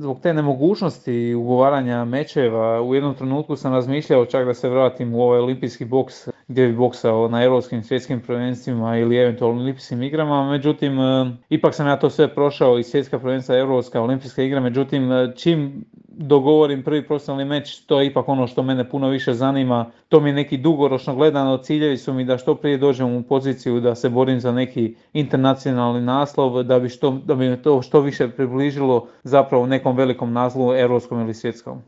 Zbog te nemogućnosti ugovaranja mečeva u jednom trenutku sam razmišljao čak da se vratim u ovaj olimpijski boks gdje bi boksao na europskim svjetskim prvenstvima ili eventualno olimpijskim igrama, međutim ipak sam ja to sve prošao i svjetska prvenstva, europska, olimpijska igra, međutim čim dogovorim prvi profesionalni meč, to je ipak ono što mene puno više zanima, to mi je neki dugoročno gledano, ciljevi su mi da što prije dođem u poziciju da se borim za neki internacionalni naslov, da bi me to što više približilo zapravo nekom velikom naslovu europskom ili svjetskom.